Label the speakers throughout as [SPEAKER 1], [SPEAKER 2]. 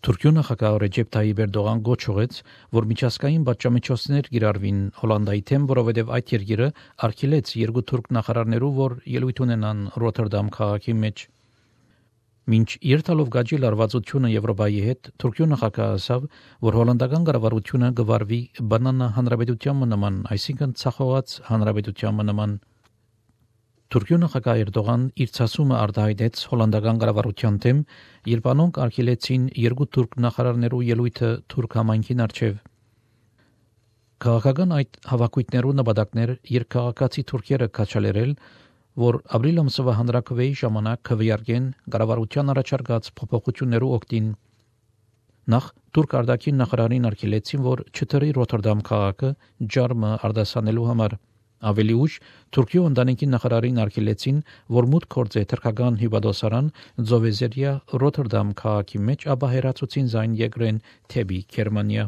[SPEAKER 1] Թուրքիո նախագահ Ռեջեփ Թայիպ Էրդողան գոչ ուղեց, որ միջազգային պատժամիջոցներ կիրառվին Հոլանդիայի թեմ, որովհետև այդ երկիրը արգելեց երկու թուրք նախարարներու, որ ելույթ ունենան Ռոթերդամ քաղաքի մեջ։ Մինչ երթալով գաջի լարվածությունը Եվրոպայի հետ, Թուրքիո նախագահը ասավ, որ հոլանդական կառավարությունը գվարվի բանանա հանրապետության նման, այսինքն ցախողած հանրապետության նման։ Թուրքիո նախագահ Էրդողան իր ցասումը արտահայտեց հոլանդական կառավարության դեմ, երբ անոնք արգելեցին երկու թուրք նախարարներու ելույթը թուրք համայնքին առջև։ Քաղաքական այդ հավաքույթներու նպատակներ երկքաղաքացի թուրքերը քաչալերել, որ ապրիլ ամսվա հանրաքվեի ժամանակ քվեարկեն կառավարության առաջարկած փոփոխություններու օգտին։ Նախ թուրք արտաքին նախարարին արգելեցին, որ չթռի Ռոթերդամ քաղաքը ջարմը արտասանելու համար։ Ավելի ուշ Թուրքիո ընտանիքի նախարարին արգելեցին, որ մուտք գործե թրքական հիվանդոսարան Զովեզերիա Ռոթերդամ քաղաքի մեջ, ապա հերացուցին զայն երկրեն թեպի Գերմանիա։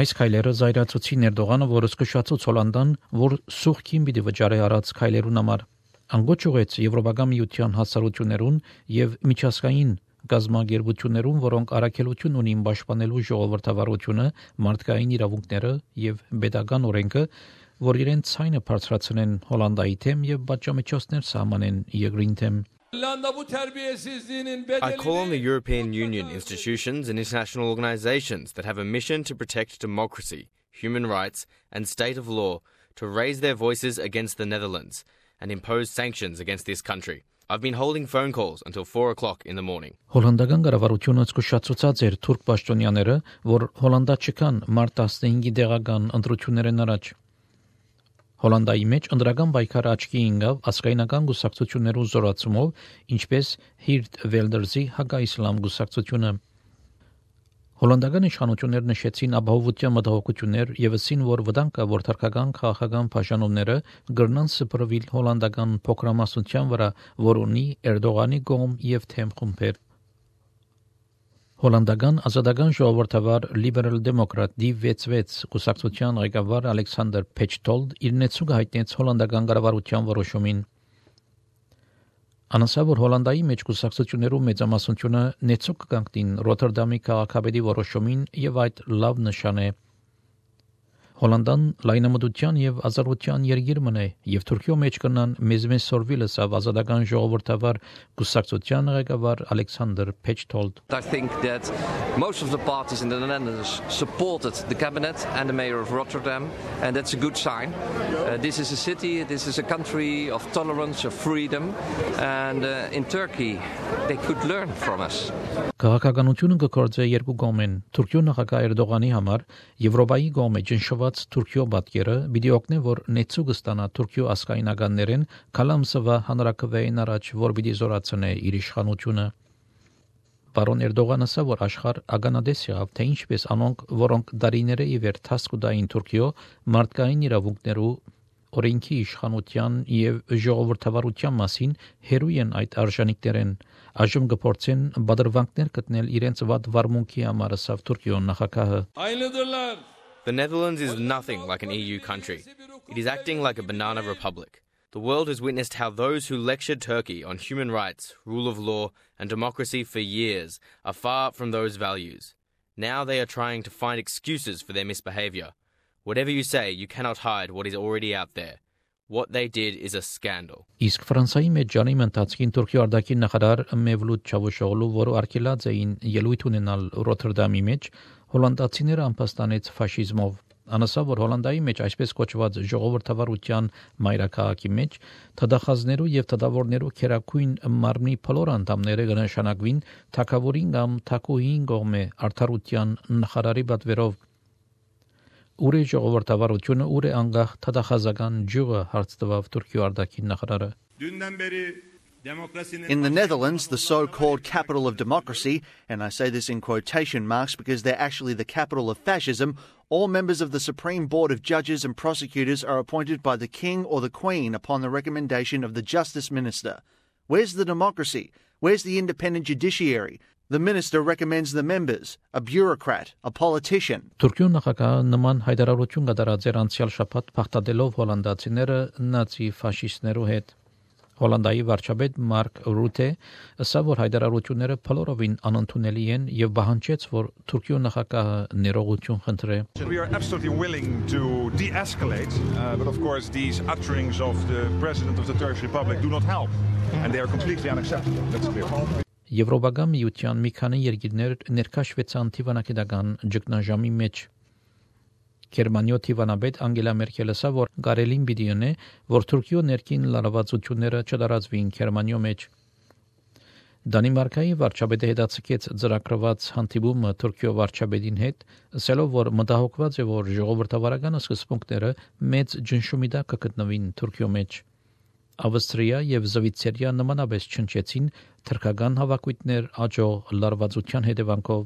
[SPEAKER 1] Այս քայլերը զայրացուցին Էրդողանը, որ զսկշացուց Հոլանդան, որ սուղքին պիտի վճարի արած քայլերուն համար։ Անգոչ ուղեց Եվրոպական միության հասարություններուն եւ միջազգային գազագերբություններուն, որոնք առաքելություն ունին պաշտպանելու ժողովրդավարությունը, մարդկային իրավունքները եւ պետական օրենքը, որ իրենց ցայնը բարձրացնեն Հոլանդայի թեմ եւ պատժամիջոցներ սահմանեն երկրին թեմ։
[SPEAKER 2] I call on the European Union institutions and international organizations that have a mission to protect democracy, human rights, and state of law to raise their voices against the Netherlands and impose sanctions against this country. I've been holding phone calls until 4 o'clock in the morning.
[SPEAKER 1] Հոլանդական կառավարությունը զսկշացուցած էր թուրք պաշտոնյաները, որ Հոլանդա չկան մարտ 15-ի դեղական ընտրություններն առաջ։ Հոլանդայի մեջ ընդրական պայքարը աչքի ընկավ ասկայնական գուսակցություններու զորացումով, ինչպես Հիրտ Վելդերզի հակաիսլամ գուսակցությունը։ Հոլանդական իշխանությունները նշեցին ապահովության մտահոգություններ եւ ասին, որ վտանգ կա, որ թարգական քաղաքական բաժանումները կգրնան սփռվել հոլանդական փոքրամասնության վրա, որ ունի Էրդողանի կողմ եւ թեմ խումբեր։ Հոլանդական ազատական ժողովրդավար Liberal Democrat D66 կուսակցության ղեկավար Ալեքսանդր Փեչտոլդ իր նեցուկ հայտնեց հոլանդական կառավարության որոշումին։ Անասա, որ Հոլանդայի մեջ կուսակցություններու մեծամասնությունը նեցուկ կանգնին Ռոթերդամի քաղաքապետի որոշումին եւ այդ լավ նշան է։ Հոլանդան լայնամտության եւ ազատության երկիր մնե եւ Թուրքիո մեջ կնան մեզ սորվիլը սավ ազատական ժողովրդավար կուսակցության ղեկավար Ալեքսանդր Փեչտոլդ։
[SPEAKER 3] I think that most of the parties in the Netherlands supported the cabinet and the mayor of Rotterdam, and that's a good sign. This is a city, this is a country of tolerance, of freedom, and in Turkey they could learn from us.
[SPEAKER 1] Քաղաքականությունը կկործե երկու կողմեն։ Թուրքիո նախագահ Էրդողանի համար Եվրոպայի կողմը ճնշված Թուրքիո պատկերը պիտի օգնի, որ նեցուկ ստանա Թուրքիո ասկայնականներեն կալամսվա հանրաքվեին առաջ, որ պիտի զորացնե իր իշխանությունը։ Պարոն Էրդողանը ասա, որ աշխարհ ագանադես եղավ, թե ինչպես անոնք, որոնք դարիները ի վեր թասկուդային Թուրքիո մարդկային իրավունքներու օրենքի իշխանության եւ ժողովրդավարության մասին հերույ են այդ արժանինքներեն, այժմ կփորձեն բادرվանքներ գտնել իրենց վատ վարմունքի համար, ասավ Թուրքիո նախագահը։
[SPEAKER 2] The Netherlands is nothing like an EU country. It is acting like a banana republic. The world has witnessed how those who lectured Turkey on human rights, rule of law, and democracy for years are far from those values. Now they are trying to find excuses for their misbehavior. Whatever you say, you cannot hide what is already out there. What they did is a scandal.
[SPEAKER 1] Իսկ Ֆրանսայի մեջ ջանիմ ընթացքին Թուրքիո արտաքին նախարար Մևլութ Չավուշօղլու, որը արգելած էին ելույթ ունենալ Ռոթերդամի մեջ, հոլանդացիները ամփոստանեց ֆաշիզմով։ Անասա, որ Հոլանդայի մեջ այսպես կոչված ժողովրդավարության մայրաքաղաքի մեջ թադախազներու եւ թադավորներու քերակույն մարմնի փլոր անդամները կնշանակվին թակավորին կամ թակուհին կողմէ արդարության նախարարի պատվերով։ Ուր է ժողովրդավարությունը, ուր է անգախ թադախազական ջուղը, հարց տվավ Թուրքիո արտաքին նախարարը։
[SPEAKER 4] In the Netherlands, the so-called capital of democracy, and I say this in quotation marks because they're actually the capital of fascism, all members of the Supreme Board of Judges and Prosecutors are appointed by the King or the Queen upon the recommendation of the Justice Minister. Where's the democracy? Where's the independent judiciary? The minister recommends the members, a bureaucrat, a politician.
[SPEAKER 1] Թուրքիո նախագահը նման հայտարարություն կատարած էր անցյալ շաբաթ, փախտadելով հոլանդացիները նացի ֆաշիստներու հետ։ Հոլանդիայի վարչապետ Մարկ Ռութե ասավ, որ հայտարարությունները փլորովին անընդունելի են եւ պահանջեց, որ Թուրքիո նախագահը ներողություն խնդրի.
[SPEAKER 5] We are absolutely willing to de-escalate, but of course these utterings of the President of the Turkish Republic do not help, and they are completely unacceptable. That's clear.
[SPEAKER 1] Եվրոպական միության մի քանի երկիրներ ներքաշվեցան թիվանակետական ճգնաժամի մեջ. Գերմանիո թիվանաբեդ Անգելա Մերկելը ասավ, որ կարելին պիտի ունի, որ Թուրքիո ներքին լարվածությունները չդարածվին Գերմանիո մեջ. Դանիմարկայի վարչապետը հետաձգեց ծրագրված հանդիպումը Թուրքիո վարչապետին հետ, ասելով, որ մտահոգված է, որ ժողովրդավարական սկզբունքները մեծ ջնշումի տակ կգտնվին Թուրքիո մեջ. Ավստրիա եւ Զվիցերիա նմանապես չնչեցին թրքական հավաքույթներ աջող լարվածության հետևանքով